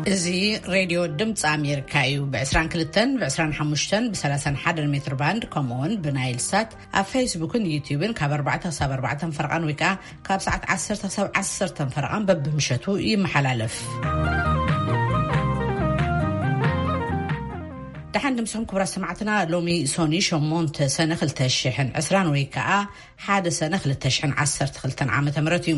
እዚ ሬድዮ ድምፂ ኣሜሪካ እዩ። ብ22፣ ብ25፣ ብ31 ሜትር ባንድ፣ ከምኡውን ብናይል ሳት ኣብ ፌስቡክን ዩቲዩብን ካብ ኣርባዕተ ክሳብ ኣርባዕተ ፈረቓን ወይ ከዓ ካብ ሰዓት ዓሰርተ ክሳብ ዓሰርተ ፈረቓን በብምሸቱ ይመሓላለፍ። ደሓን ድምስኹም ክቡራት ሰማዕትና። ሎሚ ሶኒ ሸሞንተ ሰነ ክልተ ሽሕን ዕስራን ወይ ከዓ ሓደ ሰነ ክልተ ሽሕን ዓሰርተ ክልተን ዓመተ ምህረት እዩ።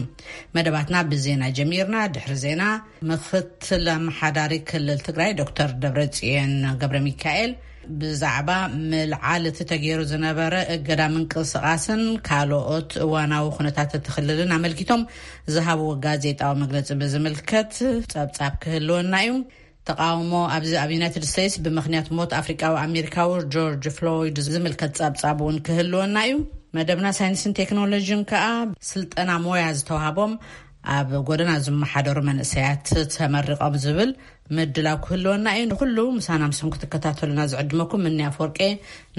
መደባትና ብዜና ጀሚርና። ድሕሪ ዜና፣ ምክትል ኣመሓዳሪ ክልል ትግራይ ዶክተር ደብረጽዮን ገብረ ሚካኤል ብዛዕባ ምልዓል እቲ ተገይሩ ዝነበረ እገዳ ምንቅስቓስን ካልኦት እዋናዊ ኩነታት እቲ ክልልን ኣመልኪቶም ዝሃብዎ ጋዜጣዊ መግለጺ ብዝምልከት ጸብጻብ ክህልወና እዩ። ተቃውሞ ኣብዚ ኣብ ዩናይትድ ስቴትስ ብምኽንያት ሞት ኣፍሪቃዊ ኣሜሪካዊ ጆርጅ ፍሎይድ ዝምልከት ጸብጻብ እውን ክህልወና እዩ። መደብና ሳይንስን ቴክኖሎጂን ከኣ ስልጠና ሞያ ዝተዋህቦም ኣብ ጎደና ዝመሓደሩ መንእሰያት ተመሪቖም ዝብል ምድላው ክህልወና እዩ። ንኩሉ ምሳና ምስኹም ክትከታተሉና ዝዕድመኩም ምኒ ኣፈወርቄ።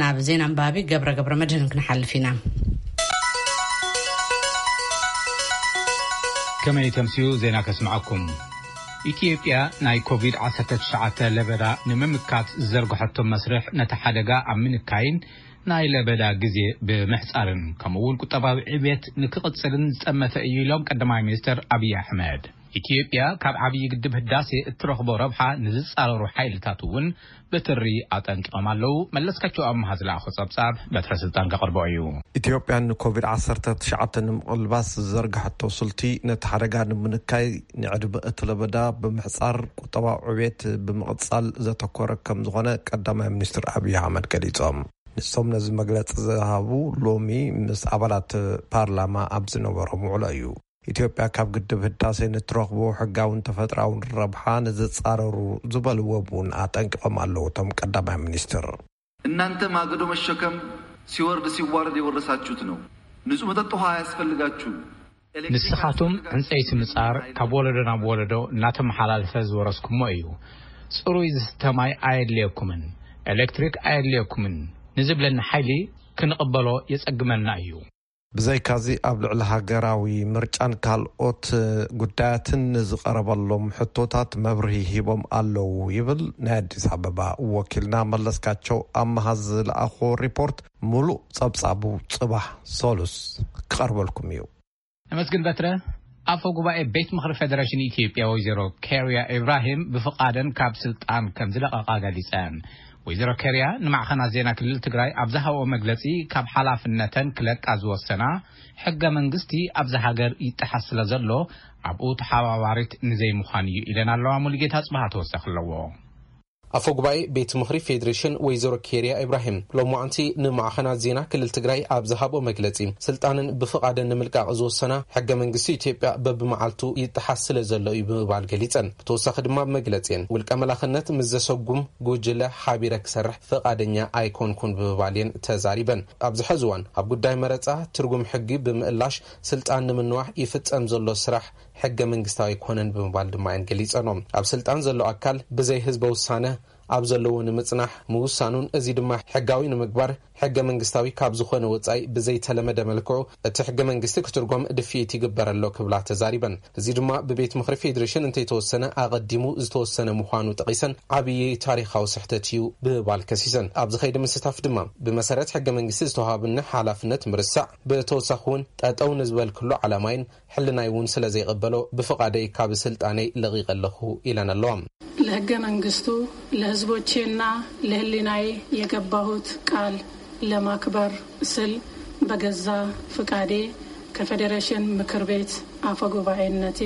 ናብ ዜና ኣንባቢ ገብረ ገብረ መድህን ክንሓልፍ ኢና። ከመይ ተምስዩ ዜና ከስምዓኩም። ኢትዮጵያ ናይ ኮቪድ ዓሰርተ ትሽዓተ ለበዳ ንምምካት ዝዘርግሐቶ መስርሕ ነቲ ሓደጋ ኣብ ምንካይን ናይ ለበዳ ግዜ ብምሕጻርን ከምኡ እውን ቁጠባዊ ዕብየት ንክቕጽልን ዝጠመተ እዩ ኢሎም ቀዳማይ ሚኒስትር ኣብይ ኣሕመድ። ኢትዮጵያ ካብ ዓብዪ ግድብ ህዳሴ እትረኽቦ ረብሓ ንዝጻረሩ ሓይልታት እውን ብትሪ ኣጠንቂቖም ኣለዉ። መለስካቸው ኣምሃ ዝለኣኾ ጸብጻብ በትረ ስልጣን ከቕርቦ እዩ። ኢትዮጵያ ንኮቪድ ዓሰርተ ትሽዓተ ንምቕልባስ ዝዘርግሐቶ ስልቲ ነቲ ሓደጋ ንምንካይ ንዕድመ እቲ ለበዳ ብምሕጻር ቁጠባዊ ዕብየት ብምቕጻል ዘተኮረ ከም ዝኾነ ቀዳማይ ሚኒስትር ኣብይ ኣሕመድ ገሊጾም። ንሶም ነዚ መግለጺ ዝሃቡ ሎሚ ምስ ኣባላት ፓርላማ ኣብ ዝነበሮም ውዕሎ እዩ። ኢትዮጵያ ካብ ግድብ ህዳሴ ንትረኽቦ ሕጋውን ተፈጥራውን ረብሓ ንዝጻረሩ ዝበልዎም እውን ኣጠንቂቖም ኣለዉ እቶም ቀዳማይ ሚኒስትር። እናንተ ማገዶ መሸከም ሲወርድ ሲዋረድ የወረሳችሁት ነው። ንጹህ መጠጥ ውሃ አያስፈልጋችሁም። ኤሌክትሪክ ንስኻቱም ዕንጸይቲ ምጻር ካብ ወለዶ ናብ ወለዶ እናተመሓላለፈ ዝወረስኩሞ እዩ። ጽሩይ ዝስተ ማይ ኣየድልየኩምን፣ ኤሌክትሪክ ኣየድልየኩምን ንዝብለኒ ሓይሊ ክንቕበሎ የጸግመና እዩ። ብዘይካዚ ኣብ ልዕሊ ሃገራዊ ምርጫን ካልኦት ጉዳያትን ንዝቐረበሎም ሕቶታት መብርሂ ሂቦም ኣለዉ ይብል ናይ ኣዲስ ኣበባ ወኪልና መለስካቸው ኣመሃ ዝለኣኾ ሪፖርት። ሙሉእ ጸብጻቡ ጽባሕ ሰሉስ ክቐርበልኩም እዩ። ነመስግን በትረ። ኣፈ ጉባኤ ቤት ምኽሪ ፌዴሬሽን ኢትዮጵያ ወይዘሮ ኬርያ ኢብራሂም ብፍቓደን ካብ ስልጣን ከም ዝለቐቓ ገሊጸን። ወይዘሮ ኬርያ ንማዕኸናት ዜና ክልል ትግራይ ኣብ ዝሃብኦ መግለጺ፣ ካብ ሓላፍነተን ክለቃ ዝወሰና ሕገ መንግስቲ ኣብዚ ሃገር ይጠሓስ ስለ ዘሎ ኣብኡ ተሓባባሪት ንዘይምዃን እዩ ኢለን ኣለዋ። ሙሉጌታ ጽባሃ ተወሳኺ ኣለዎ። ኣፈ ጉባኤ ቤት ምኽሪ ፌዴሬሽን ወይዘሮ ኬርያ ኢብራሂም ሎማዓንቲ ንማዕኸናት ዜና ክልል ትግራይ ኣብ ዝሃብኦ መግለጺ፣ ስልጣንን ብፍቓደን ንምልቃቕ ዝወሰና ሕገ መንግስቲ ኢትዮጵያ በብመዓልቱ ይጠሓስ ስለ ዘሎ እዩ ብምባል ገሊጸን። ብተወሳኺ ድማ መግለጺን ውልቀ መላኽነት ምስ ዘሰጉም ጉጅለ ሓቢረ ክሰርሕ ፍቓደኛ ኣይኮንኩን ብምባል እየን ተዛሪበን። ኣብዚ ሕዚ እዋን ኣብ ጉዳይ መረጻ ትርጉም ሕጊ ብምእላሽ ስልጣን ንምንዋሕ ይፍጸም ዘሎ ስራሕ ሕገ መንግስታዊ ኣይኮነን ብምባል ድማ እየን ገሊጸኖም። ኣብ ስልጣን ዘሎ ኣካል ብዘይ ህዝበ ውሳነ ኣብ ዘለዎ ንምጽናሕ ምውሳኑን እዚ ድማ ሕጋዊ ንምግባር ሕገ መንግስታዊ ካብ ዝኾነ ወጻኢ ብዘይተለመደ መልክዑ እቲ ሕገ መንግስቲ ክትርጎም ድፍኢት ይግበር ኣሎ ክብላ ተዛሪበን። እዚ ድማ ብቤት ምኽሪ ፌዴሬሽን እንተይተወሰነ ኣቐዲሙ ዝተወሰነ ምዃኑ ጠቒሰን ዓብዪ ታሪኻዊ ስሕተት እዩ ብምባል ከሲሰን። ኣብዚ ኸይዲ ምስታፍ ድማ ብመሰረት ሕገ መንግስቲ ዝተዋሃብኒ ሓላፍነት ምርሳዕ፣ ብተወሳኺ እውን ጠጠው ንዝበልክሉ ዓላማይን ሕልናይ እውን ስለ ዘይቐበሎ ብፍቓደይ ካብ ስልጣነይ ለቒቐ ኣለኹ ኢለን ኣለዋ። ለሕገ መንግስቱ፣ ለህዝቦቼና ለህሊናዬ የገባሁት ቃል ለማክበር ስል በገዛ ፍቃዴ ከፌዴሬሽን ምክር ቤት አፈ ጉባኤነቴ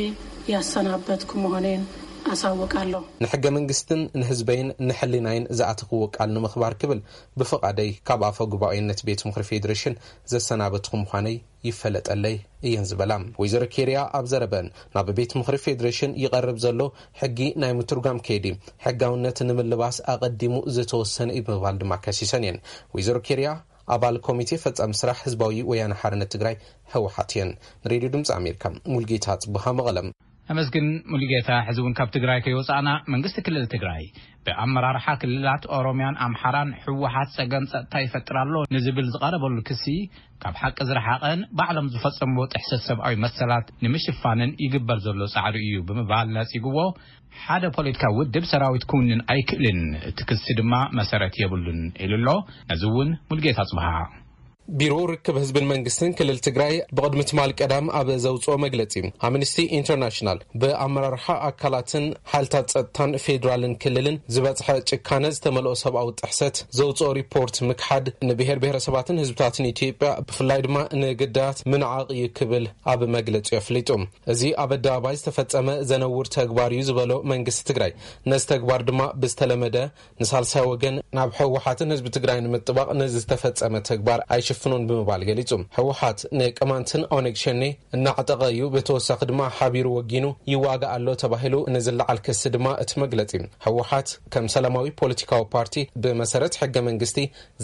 ያሰናበትኩ መሆኔን አሳውቃለሁ። ንሕገ መንግስትን ንህዝበይን ንሕሊናይን ዝኣተኽዎ ቃል ንምኽባር ክብል ብፍቓደይ ካብ ኣፈ ጉባኤነት ቤት ምኽሪ ፌዴሬሽን ዘሰናበትኹ ምዃነይ ይፈለጠለይ እየን ዝበላ። ወይዘሮ ኬርያ ኣብ ዘረበን፣ ናብ ቤት ምኽሪ ፌዴሬሽን ይቐርብ ዘሎ ሕጊ ናይ ምትርጓም ከይዲ ሕጋውነት ንምልባስ ኣቐዲሙ ዝተወሰነ እዩ ብምባል ድማ ከሲሰን እየን። ወይዘሮ ኬርያ ኣባል ኮሚቴ ፈጻሚ ስራሕ ህዝባዊ ወያነ ሓርነት ትግራይ፣ ህወሓት፣ እየን። ንሬድዮ ድምፂ ኣሜሪካ፣ ሙልጌታ ጽቡሃ፣ መቐለም። ኣመስግን ሙሉጌታ። ሕዚ እውን ካብ ትግራይ ከይወፃእና፣ መንግስቲ ክልል ትግራይ ብኣመራርሓ ክልላት ኦሮሚያን ኣምሓራን ህወሓት ፀገም ፀጥታ ይፈጥር ኣሎ ንዝብል ዝቐረበሉ ክሲ፣ ካብ ሓቂ ዝረሓቐን ባዕሎም ዝፈፀምዎ ጥሕሰት ሰብኣዊ መሰላት ንምሽፋንን ይግበር ዘሎ ፃዕሪ እዩ ብምባል ነፂግዎ። ሓደ ፖለቲካዊ ውድብ ሰራዊት ክውንን ኣይክእልን፣ እቲ ክሲ ድማ መሰረት የብሉን ኢሉ ኣሎ። ነዚ እውን ሙሉጌታ ጽብሃ። ቢሮ ርክብ ህዝብን መንግስትን ክልል ትግራይ ብቕድሚ ትማል ቀዳም ኣብ ዘውፅኦ መግለፂ፣ ኣምነስቲ ኢንተርናሽናል ብኣመራርሓ ኣካላትን ሓይልታት ፀጥታን ፌዴራልን ክልልን ዝበፅሐ ጭካነ ዝተመልኦ ሰብኣዊ ጥሕሰት ዘውፅኦ ሪፖርት ምክሓድ፣ ንብሔር ብሔረሰባትን ህዝብታትን ኢትዮጵያ ብፍላይ ድማ ንግዳያት ምንዓቕ እዩ ክብል ኣብ መግለፂ ኣፍሊጡ። እዚ ኣብ ኣደባባይ ዝተፈጸመ ዘነውር ተግባር እዩ ዝበሎ መንግስቲ ትግራይ፣ ነዚ ተግባር ድማ ብዝተለመደ ንሳልሳይ ወገን ናብ ህወሓትን ህዝቢ ትግራይ ንምጥባቕ ነዚ ዝተፈጸመ ተግባር ኣይሽፍኖን ብምባል ገሊጹ። ህወሓት ንቅማንትን ኦነግ ሸኔ እናዕጠቐ እዩ፣ ብተወሳኺ ድማ ሓቢሩ ወጊኑ ይዋጋእ ኣሎ ተባሂሉ ንዝለዓል ክሲ ድማ እቲ መግለጺ፣ ህወሓት ከም ሰላማዊ ፖለቲካዊ ፓርቲ ብመሰረት ሕገ መንግስቲ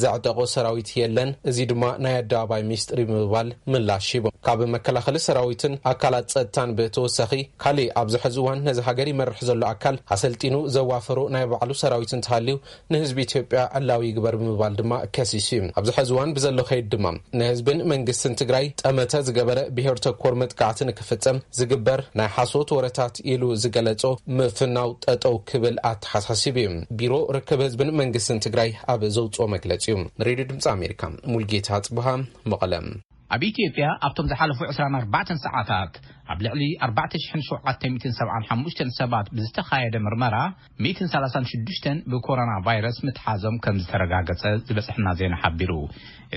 ዘዕጠቖ ሰራዊት የለን፣ እዚ ድማ ናይ ኣደባባይ ሚስጥር እዩ ብምባል ምላሽ ሂቡ። ካብ መከላኸሊ ሰራዊትን ኣካላት ጸጥታን ብተወሳኺ፣ ካሊእ ኣብዚ ሕዚ እዋን ነዚ ሃገር ይመርሕ ዘሎ ኣካል ኣሰልጢኑ ዘዋፈሮ ናይ ባዕሉ ሰራዊት እንተሃልዩ፣ ንህዝቢ ኢትዮጵያ ዕላዊ ይግበር ብምባል ድማ ከሲሱ እዩ። ኣብዚ ሕዚ እዋን ብዘሎ ከይድ ድማ፣ ንህዝብን መንግስትን ትግራይ ጠመተ ዝገበረ ብሄር ተኮር መጥቃዕቲ ንክፍጸም ዝግበር ናይ ሓሶት ወረታት ኢሉ ዝገለጾ ምፍናው ጠጠው ክብል ኣተሓሳሲቡ እዩ። ቢሮ ርክብ ህዝብን መንግስትን ትግራይ ኣብ ዘውፅኦ መግለፂ እዩ። ንሬድዮ ድምፂ ኣሜሪካ፣ ሙልጌታ ጽብሃ፣ መቐለ። ኣብ ኢትዮጵያ ኣብቶም ዝሓለፉ ዕስራን ኣርባዕተን ሰዓታት ኣብ ልዕሊ ኣርባዕተ ሽሕን ሸውዓተ ሚእትን ሰብዓን ሓሙሽተን ሰባት ብዝተኻየደ ምርመራ፣ ሚእትን ሰላሳን ሽዱሽተን ብኮሮና ቫይረስ ምትሓዞም ከም ዝተረጋገጸ ዝበጽሐና ዜና ሓቢሩ።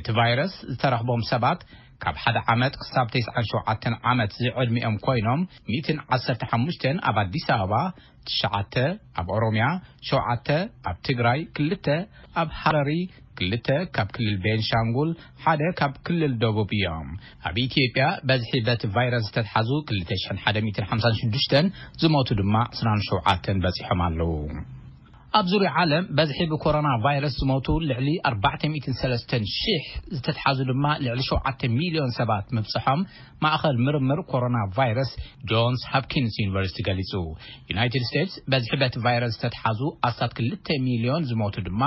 እቲ ቫይረስ ዝተረኽቦም ሰባት ካብ ሓደ ዓመት ክሳብ ተስዓን ሸውዓተን ዓመት ዝዕድሚኦም ኮይኖም፣ ሚእትን ዓሰርተ ሓሙሽተን ኣብ ኣዲስ ኣበባ፣ ትሽዓተ ኣብ ኦሮሚያ፣ ሸውዓተ ኣብ ትግራይ፣ ክልተ ኣብ ሃረሪ፣ ክልተ ካብ ክልል ቤንሻንጉል፣ ሓደ ካብ ክልል ደቡብ እዮም። ኣብ ኢትዮጵያ በዝሒ በቲ ቫይረስ ዝተትሓዙ ክልተ ሽሕን ሓደ ሚእትን ሓምሳን ሽዱሽተን፣ ዝሞቱ ድማ ዕስራን ሸውዓተን በጺሖም ኣለዉ። ኣብ ዙርያ ዓለም በዝሒ ብኮሮና ቫይረስ ዝሞቱ ልዕሊ ኣርባዕተ ሚእትን ሰለስተን ሽሕ፣ ዝተትሓዙ ድማ ልዕሊ ሸውዓተ ሚልዮን ሰባት ምብጽሖም ማእኸል ምርምር ኮሮና ቫይረስ ጆንስ ሆፕኪንስ ዩኒቨርሲቲ ገሊጹ። ዩናይትድ ስቴትስ በዝሒ በቲ ቫይረስ ዝተትሓዙ ኣስታት ክልተ ሚልዮን፣ ዝሞቱ ድማ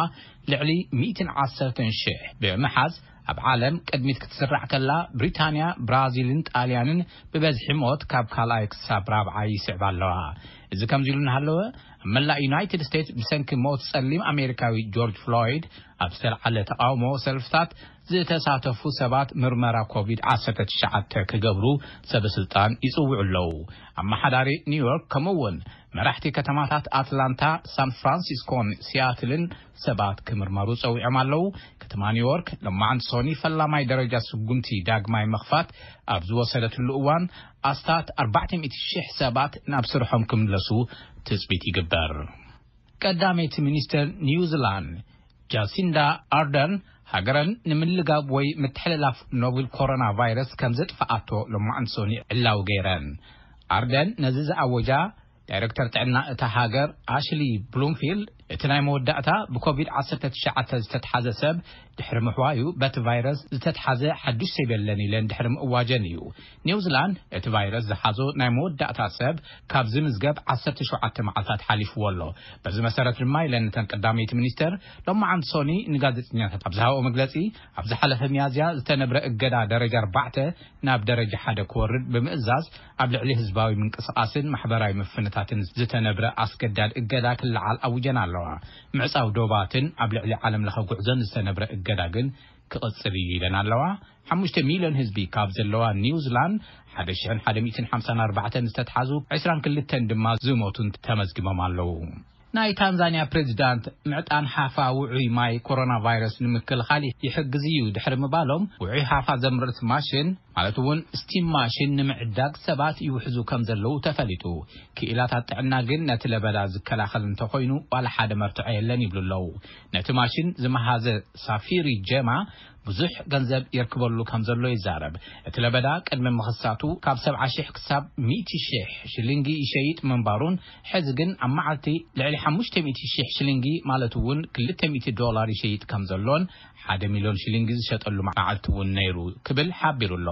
ልዕሊ ሚእትን ዓሰርተን ሽሕ ብምሓዝ፣ ኣብ ዓለም ቅድሚት ክትስራዕ ከላ፣ ብሪታንያ፣ ብራዚልን ጣልያንን ብበዝሒ ሞት ካብ ካልኣይ ክሳብ ራብዓይ ይስዕባ ኣለዋ። እዚ ከምዚ ኢሉ እናሃለወ፣ ኣብ መላእ ዩናይትድ ስቴትስ ብሰንኪ ሞት ጸሊም ኣሜሪካዊ ጆርጅ ፍሎይድ ኣብ ዝተልዓለ ተቓውሞ ሰልፍታት ዝተሳተፉ ሰባት ምርመራ ኮቪድ ዓሰርተ ትሽዓተ ክገብሩ ሰበ ስልጣን ይጽውዑ ኣለዉ። ኣመሓዳሪ ኒውዮርክ፣ ከምኡ እውን መራሕቲ ከተማታት ኣትላንታ፣ ሳን ፍራንሲስኮን ሲያትልን ሰባት ክምርመሩ ጸዊዖም ኣለዉ። ከተማ ኒውዮርክ፣ ሎማዓንቲ ሶኒ፣ ፈላማይ ደረጃ ስጉምቲ ዳግማይ ምኽፋት ኣብ ዝወሰደትሉ እዋን፣ ኣስታት ኣርባዕተ ሚእቲ ሽሕ ሰባት ናብ ስርሖም ክምለሱ ትጽቢት ይግበር። ቀዳመይቲ ሚኒስተር ኒውዚላንድ ጃሲንዳ ኣርደርን፣ ሃገረን ንምልጋብ ወይ ምትሕልላፍ ኖቨል ኮሮና ቫይረስ ከም ዘጥፍኣቶ ሎማዓንቲ ሶኒ ዕላዊ ገይረን። ኣርደን ነዚ ዝኣወጃ፣ ዳይረክተር ጥዕና እታ ሃገር ኣሽሊ ብሉምፊልድ፣ እቲ ናይ መወዳእታ ብኮቪድ ዓሰርተ ትሽዓተ ዝተትሓዘ ሰብ ድሕሪ ምሕዋዩ፣ በቲ ቫይረስ ዝተትሓዘ ሓዱሽ ሰብ የለን ኢለን ድሕሪ ምእዋጀን እዩ። ኒውዚላንድ እቲ ቫይረስ ዝሓዞ ናይ መወዳእታ ሰብ ካብ ዝምዝገብ ዓሰርተ ሸውዓተ መዓልታት ሓሊፍዎ ኣሎ። በዚ መሰረት ድማ፣ ኢለን እተን ቀዳመይቲ ሚኒስተር ሎማዓንቲ ሶኒ ንጋዜጠኛታት ኣብ ዝሃብኦ መግለጺ፣ ኣብ ዝሓለፈ ሚያዝያ ዝተነብረ እገዳ ደረጃ ኣርባዕተ ናብ ደረጃ ሓደ ክወርድ ብምእዛዝ፣ ኣብ ልዕሊ ህዝባዊ ምንቅስቓስን ማሕበራዊ ምፍንታትን ዝተነብረ ኣስገዳድ እገዳ ክለዓል ኣውጀን ኣለዋ። ምዕጻው ዶባትን ኣብ ልዕሊ ዓለም ለኸ ጉዕዞን ዝተነብረ እገዳ ግን ክቕጽል እዩ ኢለን ኣለዋ። ሓሙሽተ ሚልዮን ህዝቢ ካብ ዘለዋ ኒውዚላንድ፣ ሓደ ሽሕን ሓደ ሚእትን ሓምሳን ኣርባዕተን ዝተትሓዙ፣ ዕስራን ክልተን ድማ ዝሞቱን ተመዝጊቦም ኣለዉ። ናይ ታንዛንያ ፕሬዚዳንት፣ ምዕጣን ሓፋ ውዑይ ማይ ኮሮና ቫይረስ ንምክልኻል ይሕግዝ እዩ ድሕሪ ምባሎም፣ ውዑይ ሓፋ ዘምርት ማሽን፣ ማለት እውን ስቲም ማሽን፣ ንምዕዳግ ሰባት ይውሕዙ ከም ዘለዉ ተፈሊጡ። ክኢላታት ጥዕና ግን፣ ነቲ ለበዳ ዝከላኸል እንተኾይኑ፣ ዋላ ሓደ መርትዖ የለን ይብሉ ኣለዉ። ነቲ ማሽን ዝመሃዘ ሳፊሪ ጀማ ብዙሕ ገንዘብ የርክበሉ ከም ዘሎ ይዛረብ። እቲ ለበዳ ቅድሚ ምኽሳቱ ካብ ሰብዓ ሽሕ ክሳብ ሚእቲ ሽሕ ሽሊንጊ ይሸይጥ ምንባሩን፣ ሕዚ ግን ኣብ መዓልቲ ልዕሊ ሓሙሽተ ሚእቲ ሽሕ ሽሊንጊ፣ ማለት እውን ክልተ ሚእቲ ዶላር ይሸይጥ ከም ዘሎን፣ ሓደ ሚልዮን ሽሊንጊ ዝሸጠሉ መዓልቲ እውን ነይሩ ክብል ሓቢሩ ኣሎ።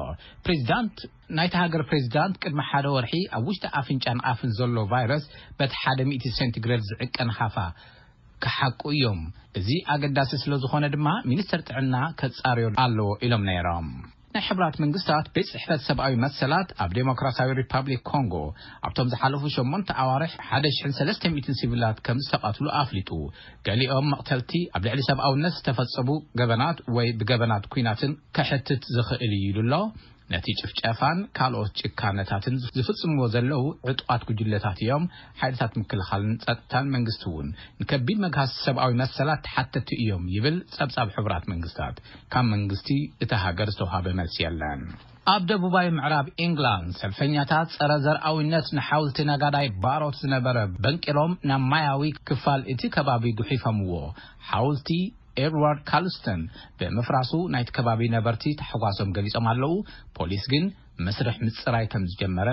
ፕሬዚዳንት ናይቲ ሃገር ፕሬዚዳንት ቅድሚ ሓደ ወርሒ ኣብ ውሽጢ ኣፍንጫን ኣፍን ዘሎ ቫይረስ በቲ ሓደ ሚእቲ ሴንቲግሬድ ዝዕቀን ሃፋ ክሓቁ እዮም። እዚ ኣገዳሲ ስለ ዝኾነ ድማ ሚኒስተር ጥዕና ከጻርዮ ኣለዎ ኢሎም ነይሮም። ናይ ሕብራት መንግስታት ቤት ጽሕፈት ሰብኣዊ መሰላት ኣብ ዴሞክራሲያዊ ሪፓብሊክ ኮንጎ ኣብቶም ዝሓለፉ ሸሞንተ ኣዋርሕ ሓደ ሽሕን ሰለስተ ሚእትን ሲቪላት ከም ዝተቐትሉ ኣፍሊጡ። ገሊኦም መቕተልቲ ኣብ ልዕሊ ሰብኣውነት ዝተፈጸሙ ገበናት ወይ ብገበናት ኲናትን ከሕትት ዝኽእል እዩ ኢሉ ኣሎ። ነቲ ጭፍጨፋን ካልኦት ጭካነታትን ዝፍጽምዎ ዘለዉ ዕጡቓት ጉጅለታት እዮም። ሓይልታት ምክልኻልን ጸጥታን መንግስቲ እውን ንከቢድ መግሃስ ሰብኣዊ መሰላት ተሓተቲ እዮም ይብል ጸብጻብ ሕቡራት መንግስታት። ካብ መንግስቲ እታ ሃገር ዝተዋሃበ መልሲ የለን። ኣብ ደቡባዊ ምዕራብ ኢንግላንድ ሰልፈኛታት ጸረ ዘርኣዊነት ንሓውልቲ ነጋዳይ ባሮት ዝነበረ በንቂሎም ናብ ማያዊ ክፋል እቲ ከባቢ ጉሒፎምዎ። ሓውልቲ ኤድዋርድ ካልስተን ብምፍራሱ ናይቲ ከባቢ ነበርቲ ታሕጓሶም ገሊጾም ኣለዉ። ፖሊስ ግን መስርሕ ምጽራይ ከም ዝጀመረ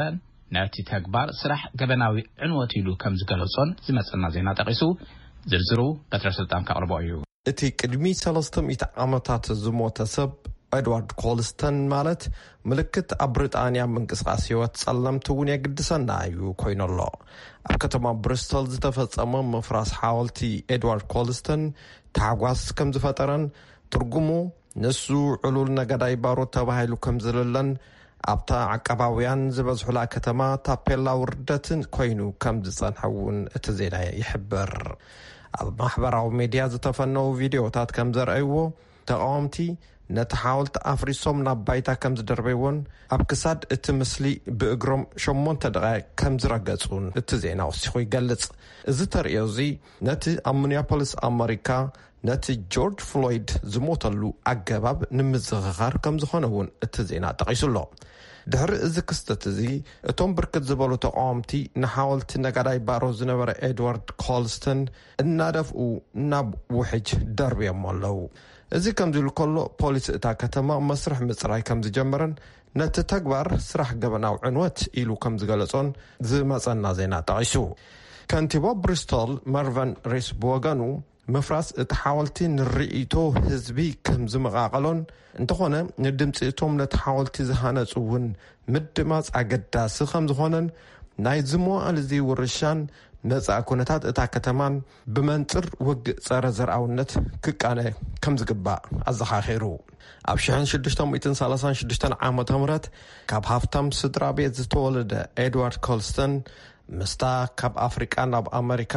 ነቲ ተግባር ስራሕ ገበናዊ ዕንወት ኢሉ ከም ዝገለጾን ዝመጸና ዜና ጠቒሱ ዝርዝሩ በትረ ስልጣን ከቕርቦ እዩ። እቲ ቅድሚ ሰለስተ ሚእቲ ዓመታት ዝሞተ ሰብ ኤድዋርድ ኮልስተን ማለት ምልክት ኣብ ብሪጣንያ ምንቅስቓስ ህይወት ጸለምቲ እውን የግድሰና እዩ ኮይኑ ኣሎ። ኣብ ከተማ ብሪስቶል ዝተፈጸመ ምፍራስ ሓወልቲ ኤድዋርድ ኮልስተን ታሕጓስ ከም ዝፈጠረን ትርጉሙ ንሱ ዕሉል ነገዳይ ባሮት ተባሂሉ ከም ዝልለን ኣብታ ዓቀባውያን ዝበዝሑላ ከተማ ታፔላ ውርደትን ኮይኑ ከም ዝጸንሐ እውን እቲ ዜና ይሕብር። ኣብ ማሕበራዊ ሜድያ ዝተፈነዉ ቪድዮታት ከም ዘርኣይዎ ተቓወምቲ ነቲ ሓወልቲ ኣፍሪሶም ናብ ባይታ ከም ዝደርበይዎን ኣብ ክሳድ እቲ ምስሊ ብእግሮም ሸሞንተ ደቓይቕ ከም ዝረገጹን እቲ ዜና ወሲኹ ይገልጽ። እዚ ተርእዮ እዚ ነቲ ኣብ ሚኒያፖሊስ ኣመሪካ ነቲ ጆርጅ ፍሎይድ ዝሞተሉ ኣገባብ ንምዝኽኻር ከም ዝኾነ እውን እቲ ዜና ጠቒሱ ኣሎ። ድሕሪ እዚ ክስተት እዚ እቶም ብርክት ዝበሉ ተቓወምቲ ንሓወልቲ ነጋዳይ ባሮ ዝነበረ ኤድዋርድ ኮልስተን እናደፍኡ ናብ ውሕጅ ደርብዮም ኣለዉ። እዚ ከምዚ ኢሉ ከሎ ፖሊስ እታ ከተማ መስርሕ ምጽራይ ከም ዝጀመረን ነቲ ተግባር ስራሕ ገበናዊ ዕንወት ኢሉ ከም ዝገለጾን ዝመጸና ዜና ጠቒሱ። ከንቲባ ብሪስቶል መርቨን ሬስ ብወገኑ ምፍራስ እቲ ሓወልቲ ንርእይቶ ህዝቢ ከም ዝመቓቐሎን እንተኾነ ንድምፂ እቶም ነቲ ሓወልቲ ዝሃነፁ እውን ምድማፅ ኣገዳሲ ከም ዝኾነን ናይ ዝመዋእል እዚ ውርሻን መጻኢ ኩነታት እታ ከተማን ብመንፅር ውግእ ፀረ ዘርኣውነት ክቃነ ከም ዝግባእ ኣዘኻኺሩ። ኣብ ሽሕን ሽዱሽተ ሚእትን ሰላሳን ሽዱሽተን ዓመተ ምህረት ካብ ሃፍታም ስድራ ቤት ዝተወለደ ኤድዋርድ ኮልስተን ምስታ ካብ ኣፍሪቃ ናብ ኣመሪካ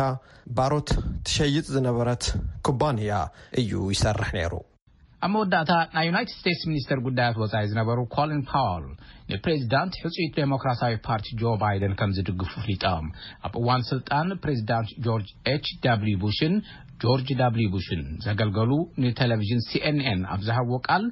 ባሮት ትሸይጥ ዝነበረት ኩባንያ እዩ ይሰርሕ ነይሩ። ኣብ መወዳእታ ናይ ዩናይትድ ስቴትስ ሚኒስተር ጉዳያት ወጻኢ ዝነበሩ ኮሊን ፓወል ንፕሬዚዳንት ሕጹይት ዴሞክራሲያዊ ፓርቲ ጆ ባይደን ከም ዝድግፉ ፍሊጦም። ኣብ እዋን ስልጣን ፕሬዚዳንት ጆርጅ ኤች ደብልዩ ቡሽን ጆርጅ ደብልዩ ቡሽን ዘገልገሉ ንቴሌቪዥን ሲኤንኤን ኣብ ዝሃብዎ ቃል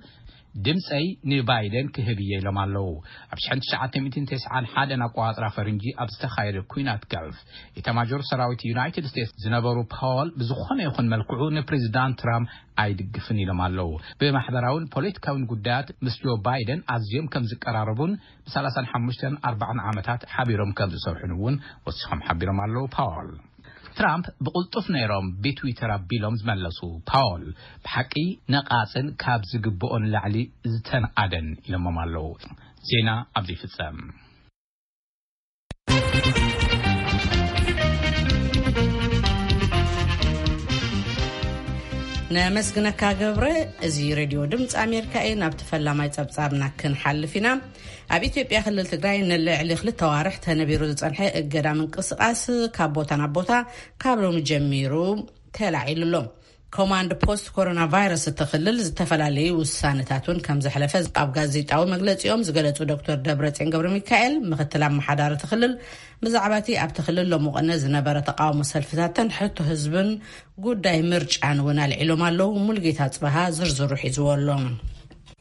ድምፀይ ንባይደን ክህብ እየ ኢሎም ኣለዉ። ኣብ ሽሕን ትሽዓተ ሚእትን ተስዓን ሓደን ኣቆጻጽራ ፈረንጂ ኣብ ዝተኻየደ ኲናት ገልፍ ኢታማጆር ሰራዊት ዩናይትድ ስቴትስ ዝነበሩ ፓወል ብዝኾነ ይኹን መልክዑ ንፕሬዚዳንት ትራምፕ ኣይድግፍን ኢሎም ኣለዉ። ብማሕበራውን ፖለቲካውን ጉዳያት ምስ ጆ ባይደን ኣዝዮም ከም ዝቀራረቡን ብ ሰላሳን ሓሙሽተን ኣርባዓን ዓመታት ሓቢሮም ከም ዝሰርሑን እውን ወሲኾም ሓቢሮም ኣለዉ ፓወል። ትራምፕ ብቕልጡፍ ነይሮም ብትዊተር ኣቢሎም ዝመለሱ ፓወል፣ ብሓቂ ነቓጽን ካብ ዝግብኦ ንላዕሊ ዝተንኣደን ኢሎሞም ኣለዉ። ዜና ኣብዚ ይፍጸም። ነመስግነካ ገብረ። እዚ ሬድዮ ድምፂ ኣሜሪካ እዩ። ናብቲ ፈላማይ ጸብጻብና ክንሓልፍ ኢና። ኣብ ኢትዮጵያ ክልል ትግራይ ንልዕሊ ክልተ ዋርሕ ተነቢሩ ዝጸንሐ እገዳ ምንቅስቃስ ካብ ቦታ ናብ ቦታ ካብ ሎሚ ጀሚሩ ተላዒሉ ኣሎ። ኮማንድ ፖስት ኮሮና ቫይረስ እቲ ክልል ዝተፈላለዩ ውሳነታት እውን ከም ዘሕለፈ ኣብ ጋዜጣዊ መግለጺኦም ዝገለጹ ዶክተር ደብረጽዮን ገብረ ሚካኤል ምክትል ኣመሓዳሪ እቲ ክልል ብዛዕባ እቲ ኣብቲ ክልል ሎሚ ቅነ ዝነበረ ተቃውሞ ሰልፍታትን ሕቶ ህዝብን ጉዳይ ምርጫን እውን ኣልዒሎም ኣለዉ። ሙልጌታ ጽበሃ ዝርዝሩ ሒዝዎ ኣሎ።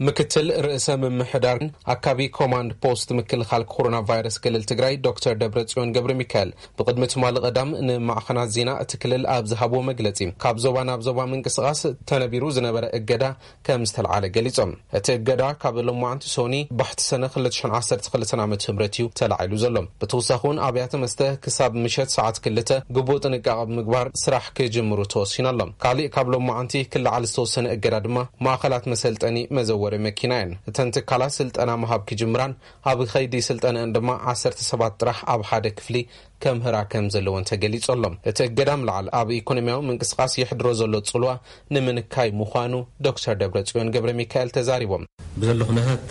ምክትል ርእሰ ምምሕዳርን ኣካቢ ኮማንድ ፖስት ምክልኻል ኮሮና ቫይረስ ክልል ትግራይ ዶክተር ደብረጽዮን ገብረ ሚካኤል ብቕድሚ ትማሊ ቀዳም ንማዕኸናት ዜና እቲ ክልል ኣብ ዝሃብዎ መግለጺ፣ ካብ ዞባ ናብ ዞባ ምንቅስቓስ ተነቢሩ ዝነበረ እገዳ ከም ዝተልዓለ ገሊጾም። እቲ እገዳ ካብ ሎማዓንቲ ሶኒ ባሕቲ ሰነ ክልተ ሽሕን ዓሰርተ ክልተን ዓመተ ምህረት እዩ ተላዒሉ ዘሎ። ብተወሳኺ እውን ኣብያተ መስተ ክሳብ ምሸት ሰዓት ክልተ ግቡእ ጥንቃቐ ብምግባር ስራሕ ክጅምሩ ተወሲኑ ኣሎ። ካሊእ ካብ ሎማዓንቲ ክለዓል ዝተወሰነ እገዳ ድማ ማእኸላት መሰልጠኒ መዘወ መኪና እየን። እተን ትካላት ስልጠና ምሃብ ክጅምራን ኣብ ኸይዲ ስልጠነአን ድማ ዓሰርተ ሰባት ጥራሕ ኣብ ሓደ ክፍሊ ከምህራ ከም ዘለወን ተገሊጹ ኣሎ። እቲ እገዳ ምልዓል ኣብ ኢኮኖሚያዊ ምንቅስቃስ የሕድሮ ዘሎ ጽልዋ ንምንካይ ምዃኑ ዶክተር ደብረጽዮን ገብረ ሚካኤል ተዛሪቦም። ብዘሎ ኩነታት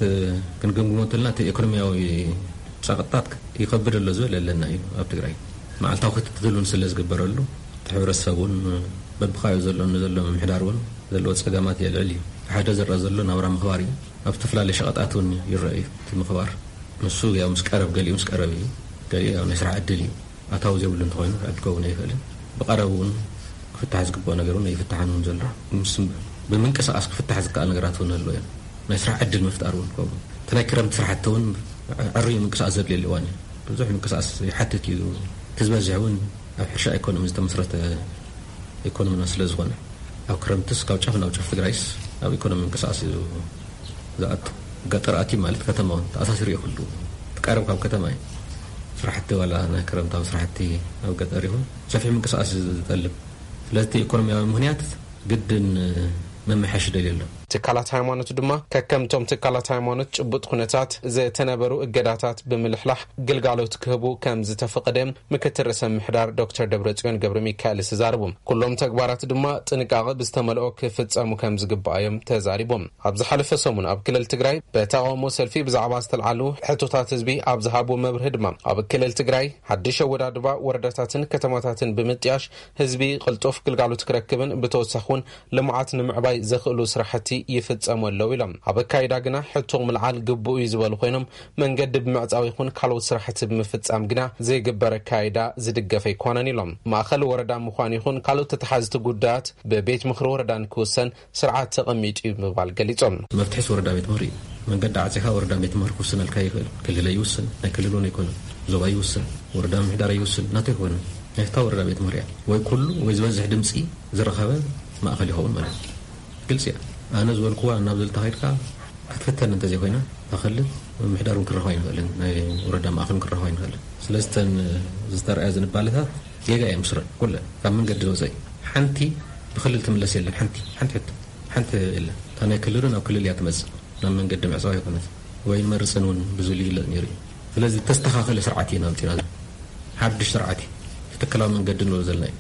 ክንገምግሞ እንተልና እቲ ኢኮኖሚያዊ ጸቕጥታት ይኸብድ ኣሎ ዝብል ኣለና እዩ። ኣብ ትግራይ መዓልታዊ ክትትል እውን ስለ ዝግበረሉ እቲ ሕብረተሰብ እውን በብኻዩ ዘሎ ንዘሎ ምምሕዳር እውን ዘለዎ ጸገማት የልዕል እዩ። ሓደ ዝረኣ ዘሎ ናብራ ምኽባር እዩ። ኣብ ዝተፈላለዩ ሸቐጣት እውን ይረአ እዩ እቲ ምኽባር። ንሱ ያው ምስ ቀረብ፣ ገሊኡ ምስ ቀረብ እዩ፣ ገሊኡ ያው ናይ ስራሕ ዕድል እዩ። ኣታዊ ዘይብሉ እንተኾይኑ ዕድ ክኸውን ኣይኽእልን። ብቐረብ እውን ክፍታሕ ዝግብኦ ነገር እውን ኣይፍታሕን እውን ዘሎ። ምስ ብምንቅስቃስ ክፍታሕ ዝከኣል ነገራት እውን ኣሎ እዮም። ናይ ስራሕ ዕድል ምፍጣር እውን ከምኡ። እቲ ናይ ክረምቲ ስራሕቲ እውን ዕርዩ ምንቅስቃስ ዘድልየሉ እዋን እዩ። ብዙሕ ምንቅስቃስ ይሓትት እዩ። እቲ ዝበዝሕ እውን ኣብ ሕርሻ ኢኮኖሚ ዝተመስረተ ኢኮኖሚና ስለ ዝኾነ፣ ኣብ ክረምትስ ካብ ጫፍ ናብ ጫፍ ትግራይስ ኣብ ኢኮኖሚ ምንቅስቃስ እዩ ዝኣቱ። ገጠር ኣትዩ ማለት ከተማ እውን ተኣሳሲሩ እዩ። ኩሉ ትቃረብ ካብ ከተማ እዩ። ስራሕቲ ዋላ ናይ ክረምታዊ ስራሕቲ ኣብ ገጠር ይኹን ሰፊሕ ምንቅስቃስ እዩ ዝጠልብ። ስለዚ እቲ ኢኮኖሚያዊ ምኽንያት ግድን መመሓሽ ደልዩ ኣሎ። ትካላት ሃይማኖት ድማ ከከምቶም ትካላት ሃይማኖት ጭቡጥ ኩነታት ዝተነበሩ እገዳታት ብምልሕላሕ ግልጋሎት ክህቡ ከም ዝተፈቐደ ምክትል ርእሰ ምሕዳር ዶክተር ደብረጽዮን ገብረ ሚካኤል ተዛረቡ። ኩሎም ተግባራት ድማ ጥንቃቐ ብዝተመልኦ ክፍጸሙ ከም ዝግባእ እዮም ተዛሪቦም። ኣብ ዝሓለፈ ሰሙን ኣብ ክልል ትግራይ ብተቓውሞ ሰልፊ ብዛዕባ ዝተልዓሉ ሕቶታት ህዝቢ ኣብ ዝሃቡ መብርሂ ድማ ኣብ ክልል ትግራይ ሓድሽ ኣወዳድባ ወረዳታትን ከተማታትን ብምጥያሽ ህዝቢ ቅልጡፍ ግልጋሎት ክረክብን ብተወሳኺ እውን ልምዓት ንምዕባይ ዘኽእሉ ስራሕቲ ይፍጸሙ ኣለዉ ኢሎም። ኣብ ኣካይዳ ግና ሕቶ ምልዓል ግቡእ እዩ ዝበሉ ኮይኖም መንገዲ ብምዕጻው ይኹን ካልኦት ስራሕቲ ብምፍጻም ግና ዘይግበር ኣካይዳ ዝድገፍ ኣይኮነን ኢሎም። ማእኸል ወረዳ ምዃን ይኹን ካልኦት ተተሓዝቲ ጉዳያት ብቤት ምኽሪ ወረዳ ንክውሰን ስርዓት ተቐሚጡ እዩ ብምባል ገሊጾም። መፍትሒስ ወረዳ ቤት ምኽሪ እዩ። መንገዲ ዓጺኻ ወረዳ ቤት ምኽሪ ክውስነልካ ይኽእል። ክልል ይውስን፣ ናይ ክልል እውን ኣይኮነን። ዞባ ይውስን፣ ወረዳ ምምሕዳር ይውስን፣ ናቱ ኣይኮነን። ናይታ ወረዳ ቤት ምኽሪ እያ። ወይ ኩሉ ወይ ዝበዝሕ ድምፂ ዝረኸበ ማእኸል ይኸውን ማለት እዩ። ግልፂ እያ። ኣነ ዝበልክዋ እናብ ዘልታ ከይድካ ክትፍተን እንተዘይኮይና፣ እታ ክልል ምምሕዳር እውን ክረኸባ ይንኽእልን፣ ናይ ወረዳ ማእኸል እውን ክረኸባ ይንኽእልን። ስለዚ እተን ዝተረኣያ ዝንባለታት ጌጋ እየን ብስረን ኩለን። ካብ መንገዲ ዝወፀ እዩ። ሓንቲ ብክልል ትምለስ የለን። ሓንቲ፣ ሓንቲ ሕቶ፣ ሓንቲ የለን። እታ ናይ ክልሉ ናብ ክልል እያ ትመፅእ። ናብ መንገዲ ምዕፃው ኣይኮነት። ወይ መርፅን እውን ብዙ ይግለፅ ነይሩ እዩ። ስለዚ ተስተኻኸለ ስርዓት እዩ ናምፂና። ሓድሽ ስርዓት እዩ። ትክክላዊ መንገዲ ንብሎ ዘለና እዩ።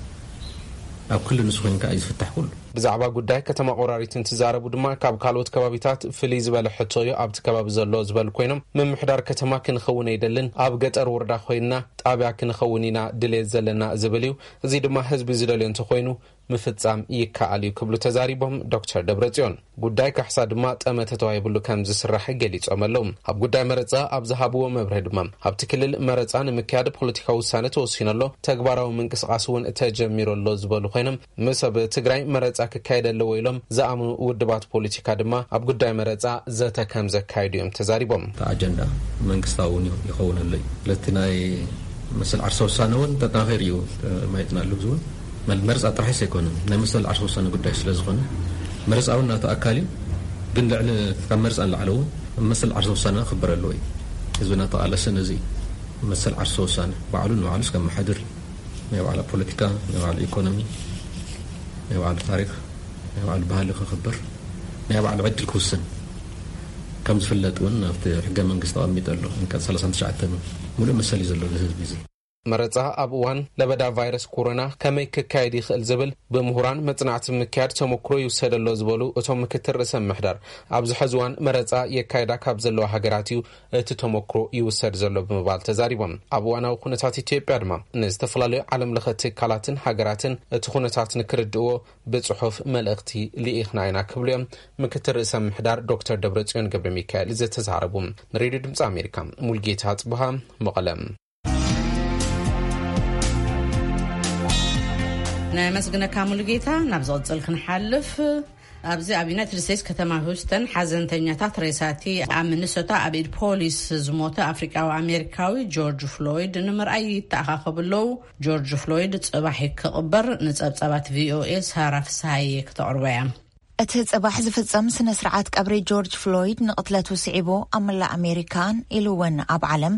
ኣብ ክልል ንሱ ኮይንካ እዩ ዝፍታሕ ኩሉ። ብዛዕባ ጉዳይ ከተማ ቆራሪት እንትዛረቡ ድማ ካብ ካልኦት ከባቢታት ፍልይ ዝበለ ሕቶ እዩ ኣብቲ ከባቢ ዘሎ ዝበሉ ኮይኖም፣ ምምሕዳር ከተማ ክንኸውን ኣይደልን፣ ኣብ ገጠር ወረዳ ኮይንና ጣብያ ክንኸውን ኢና ድሌት ዘለና ዝብል እዩ። እዚ ድማ ህዝቢ ዝደልዮ እንተኮይኑ ምፍጻም ይከኣል እዩ ክብሉ ተዛሪቦም ዶክተር ደብረጽዮን። ጉዳይ ካሕሳ ድማ ጠመተ ተዋሂብሉ ከም ዝስራሕ ገሊጾም ኣለዉ። ኣብ ጉዳይ መረጻ ኣብ ዝሃብዎ መብርሂ ድማ ኣብቲ ክልል መረጻ ንምክያድ ፖለቲካዊ ውሳነ ተወሲኑ ኣሎ፣ ተግባራዊ ምንቅስቃስ እውን ተጀሚሩ ኣሎ ዝበሉ ኮይኖም፣ ምስ ኣብ ትግራይ መረጻ ክካየድ ኣለዎ ኢሎም ዝኣምኑ ውድባት ፖለቲካ ድማ ኣብ ጉዳይ መረጻ ዘተ ከም ዘካየዱ እዮም ተዛሪቦም። እቲ ኣጀንዳ መንግስታዊ እውን ይኸውን ኣሎ እዩ። ስለቲ ናይ መሰል ዓርሰ ውሳነ እውን ተጠናኺሩ እዩ፣ ማየትና ኣሎ። እዚ እውን መል-፣ መረጻ ጥራሕስ ኣይኮነን፣ ናይ መሰል ዓርሰ ውሳነ ጉዳይ ስለ ዝኾነ መረጻ እውን ናቱ ኣካል እዩ። ግን ልዕሊ፣ ካብ መረጻ ንላዕሊ እውን መሰል ዓርሰ ውሳነ ክኽበር ኣለዎ እዩ። ህዝብና ተቓለሰ ነዚ መሰል ዓርሰ ውሳነ ባዕሉ ንባዕሉ እስከ መሓድር እዩ። ናይ ባዕላ ፖለቲካ፣ ናይ ባዕሉ ኢኮኖሚ፣ ናይ ባዕሉ ታሪኽ፣ ናይ ባዕሉ ባህሊ ክኽብር፣ ናይ ባዕሉ ዕድል ክውስን ከም ዝፍለጥ እውን ኣብቲ ሕገ መንግስቲ ተቐሚጡ ኣሎ። ኣንቀጽ ሰላሳን ትሽዓተን ሙሉእ መሰል እዩ ዘሎ እዚ ህዝቢ እዚ። መረጻ ኣብ እዋን ለበዳ ቫይረስ ኮሮና ከመይ ክካየድ ይኽእል ዝብል ብምሁራን መጽናዕቲ ምክያድ ተመክሮ ይውሰደሎ ዝበሉ እቶም ምክትል ርእሰ ምምሕዳር፣ ኣብዚ ሕዚ እዋን መረጻ የካይዳ ካብ ዘለዋ ሃገራት እዩ እቲ ተመክሮ ይውሰድ ዘሎ ብምባል ተዛሪቦም። ኣብ እዋናዊ ኩነታት ኢትዮጵያ ድማ ንዝተፈላለዩ ዓለም ለኸ ትካላትን ሃገራትን እቲ ኩነታት ንክርድእዎ ብጽሑፍ መልእኽቲ ልኢኽና ኢና ክብሉ እዮም ምክትል ርእሰ ምምሕዳር ዶክተር ደብረጽዮን ገብረ ሚካኤል ዝተዛረቡ። ንሬድዮ ድምፂ ኣሜሪካ ሙልጌታ ጽብሃ መቐለ። ነመስግነካ ሙሉጌታ። ናብ ዝቕጽል ክንሓልፍ፣ ኣብዚ ኣብ ዩናይትድ ስቴትስ ከተማ ሁስተን ሓዘንተኛታት ሬሳቲ ኣብ ሚኒሶታ ኣብ ኢድ ፖሊስ ዝሞተ ኣፍሪቃዊ ኣሜሪካዊ ጆርጅ ፍሎይድ ንምርኣይ ይተኣኻኸቡ ኣለዉ። ጆርጅ ፍሎይድ ጽባሕ ክቕበር ንጸብጻባት ቪኦኤ ሳራ ፍስሃየ ክተቕርቦ እያ። እቲ ጽባሕ ዝፍጸም ስነ ስርዓት ቀብሪ ጆርጅ ፍሎይድ ንቕትለቱ ስዒቡ ኣብ መላእ ኣሜሪካን ኢሉ እውን ኣብ ዓለም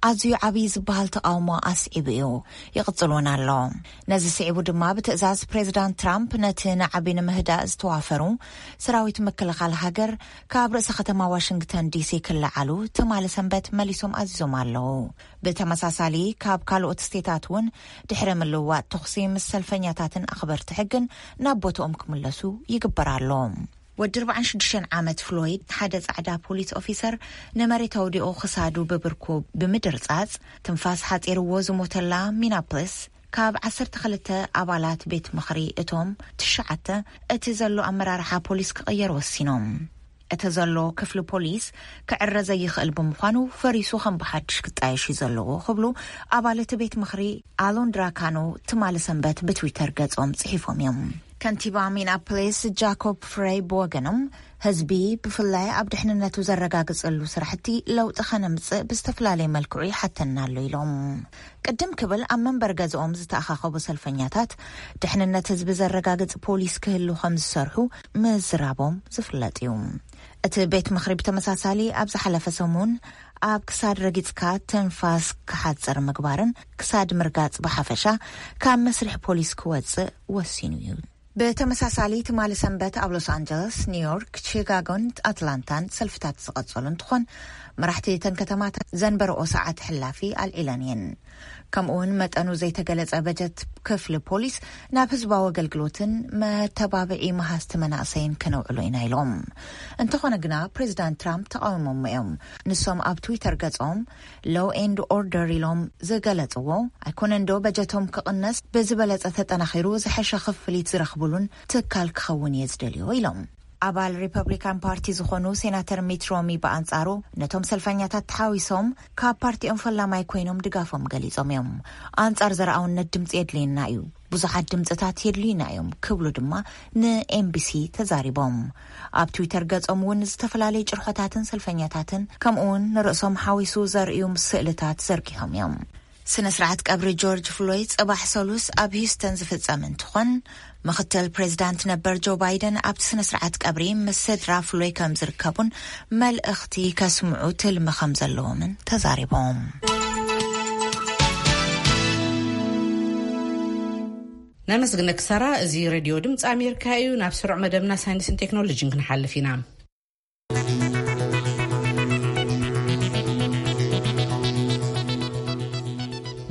ኣዝዩ ዓብዪ ዝበሃል ተቓውሞ ኣስዒቡ እዩ። ይቕጽል እውን ኣሎ። ነዚ ስዒቡ ድማ ብትእዛዝ ፕሬዚዳንት ትራምፕ ነቲ ናዕቢ ንምህዳእ ዝተዋፈሩ ሰራዊት ምክልኻል ሃገር ካብ ርእሰ ከተማ ዋሽንግተን ዲሲ ክለዓሉ ትማሊ ሰንበት መሊሶም ኣዚዞም ኣለዉ። ብተመሳሳሊ ካብ ካልኦት ስቴታት እውን ድሕሪ ምልውዋጥ ተኹሲ ምስ ሰልፈኛታትን ኣኽበርቲ ሕግን ናብ ቦታኦም ክምለሱ ይግበር ኣሎ። ወዲ ኣርባዓን ሽዱሽተን ዓመት ፍሎይድ ሓደ ጻዕዳ ፖሊስ ኦፊሰር ንመሬት ኣውዲቑ ክሳዱ ብብርኩ ብምድርጻጽ ትንፋስ ሓጺርዎ ዝሞተላ ሚናፖሊስ ካብ ዓሰርተ ክልተ ኣባላት ቤት ምኽሪ እቶም ትሽዓተ እቲ ዘሎ ኣመራርሓ ፖሊስ ክቕየር ወሲኖም። እቲ ዘሎ ክፍሊ ፖሊስ ክዕረ ዘይኽእል ብምዃኑ ፈሪሱ ከም ብሓድሽ ክጣየሽ እዩ ዘለዎ ክብሉ ኣባል እቲ ቤት ምኽሪ ኣሎን ድራካኖ ትማሊ ሰንበት ብትዊተር ገጾም ጽሒፎም እዮም። ከንቲባ ሚናፖሊስ ጃኮብ ፍሬይ ብወገኖም ህዝቢ ብፍላይ ኣብ ድሕንነቱ ዘረጋግጸሉ ስራሕቲ ለውጢ ከነምጽእ ብዝተፈላለየ መልክዑ ይሓተና ኣሎ ኢሎም። ቅድም ክብል ኣብ መንበር ገዝኦም ዝተኣኻኸቡ ሰልፈኛታት ድሕንነት ህዝቢ ዘረጋግጽ ፖሊስ ክህሉ ከም ዝሰርሑ ምዝራቦም ዝፍለጥ እዩ። እቲ ቤት ምኽሪ ብተመሳሳሊ ኣብ ዝሓለፈ ሰሙን ኣብ ክሳድ ረጊጽካ ትንፋስ ክሓጽር ምግባርን ክሳድ ምርጋጽ ብሓፈሻ ካብ መስርሕ ፖሊስ ክወጽእ ወሲኑ እዩ። ብተመሳሳሊ ትማሊ ሰንበት ኣብ ሎስ ኣንጀለስ፣ ኒውዮርክ፣ ቺካጎን ኣትላንታን ሰልፍታት ዝቐጸሉ እንትኾን መራሕቲ እተን ከተማታት ዘንበረኦ ሰዓት ሕላፊ ኣልዒለን እየን። ከምኡውን መጠኑ ዘይተገለጸ በጀት ክፍሊ ፖሊስ ናብ ህዝባዊ ኣገልግሎትን መተባብዒ መሃዝቲ መናእሰይን ከነውዕሎ ኢና ኢሎም። እንተኾነ ግና ፕሬዚዳንት ትራምፕ ተቃዊሞሞ እዮም። ንሶም ኣብ ትዊተር ገጾም ሎው ኤንድ ኦርደር ኢሎም ዝገለጽዎ ኣይኮነን ዶ በጀቶም ክቕነስ ብዝበለጸ ተጠናኺሩ ዝሐሸ ክፍሊት ዝረኽብሉን ትካል ክኸውን እየ ዝደልዮ ኢሎም። ኣባል ሪፐብሊካን ፓርቲ ዝኾኑ ሴናተር ሚት ሮሚ ብኣንጻሩ ነቶም ሰልፈኛታት ተሓዊሶም ካብ ፓርቲኦም ፈላማይ ኮይኖም ድጋፎም ገሊጾም እዮም። ኣንጻር ዘርኣውነት ድምፂ የድልየና እዩ፣ ብዙሓት ድምፅታት የድልዩና እዮም ክብሉ ድማ ንኤምቢሲ ተዛሪቦም። ኣብ ትዊተር ገጾም እውን ዝተፈላለዩ ጭርሖታትን ሰልፈኛታትን ከምኡውን ንርእሶም ሓዊሱ ዘርእዩ ስእልታት ዘርጊሖም እዮም። ስነ ስርዓት ቀብሪ ጆርጅ ፍሎይድ ጽባሕ ሰሉስ ኣብ ሂውስተን ዝፍጸም እንትኾን ምኽትል ፕሬዚዳንት ነበር ጆ ባይደን ኣብቲ ስነ ስርዓት ቀብሪ ምስ ስድራ ፍሎይ ከም ዝርከቡን መልእኽቲ ከስምዑ ትልሚ ከም ዘለዎምን ተዛሪቦም። ነመስግነኪ ሳራ። እዚ ሬድዮ ድምፂ ኣሜሪካ እዩ። ናብ ስሩዕ መደብና ሳይንስን ቴክኖሎጂን ክንሓልፍ ኢና።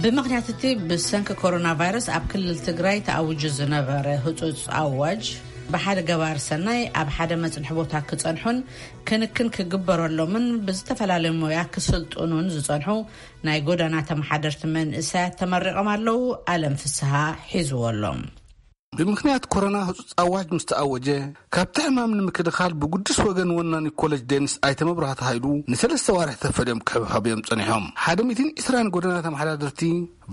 ብምኽንያት እቲ ብሰንኪ ኮሮና ቫይረስ ኣብ ክልል ትግራይ ተኣውጁ ዝነበረ ህጹጽ ኣዋጅ፣ ብሓደ ገባር ሰናይ ኣብ ሓደ መጽንሒ ቦታ ክጸንሑን ክንክን ክግበረሎምን ብዝተፈላለዩ ሞያ ክስልጥኑን ዝጸንሑ ናይ ጎዳና ተመሓደርቲ መንእሰያት ተመሪቖም ኣለዉ። ኣለም ፍስሃ ሒዝዎ ኣሎ። ብምኽንያት ኮሮና ህጹጽ ኣዋጅ ምስ ተኣወጀ፣ ካብቲ ሕማም ንምክልኻል ብጉዱስ ወገን ወናኒ ኮሌጅ ዴኒስ ኣይተ መብራህቱ ሃይሉ ንሰለስተ ዋርሕ ተፈልዮም ክሕብሐቡ እዮም ጸኒሖም። ሓደ ሚእትን ዕስራን ጎደና ተመሓዳደርቲ